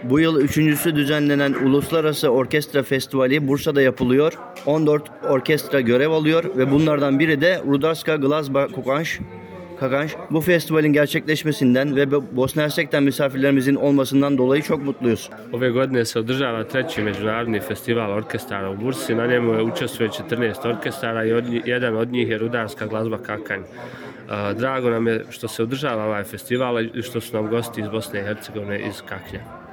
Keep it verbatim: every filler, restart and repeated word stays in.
Bu yıl üçüncüsü düzenlenen Uluslararası Orkestra Festivali Bursa'da yapılıyor. on dört orkestra görev alıyor ve bunlardan biri de Rudarska Glazba Kokanj. Kakanj. Bu festivalin gerçekleşmesinden ve Bosna Hersek'ten misafirlerimizin olmasından dolayı çok mutluyuz. Ove godine se održava treći međunarodni festival orkestara u Bursi. Na njemu je učestvuje četrnaest orkestara i od njih, jedan od njih je Rudarska glazba Kakanj. Drago nam je što se održava ovaj festival i što su nam gosti iz Bosne i Hercegovine iz Kaknja.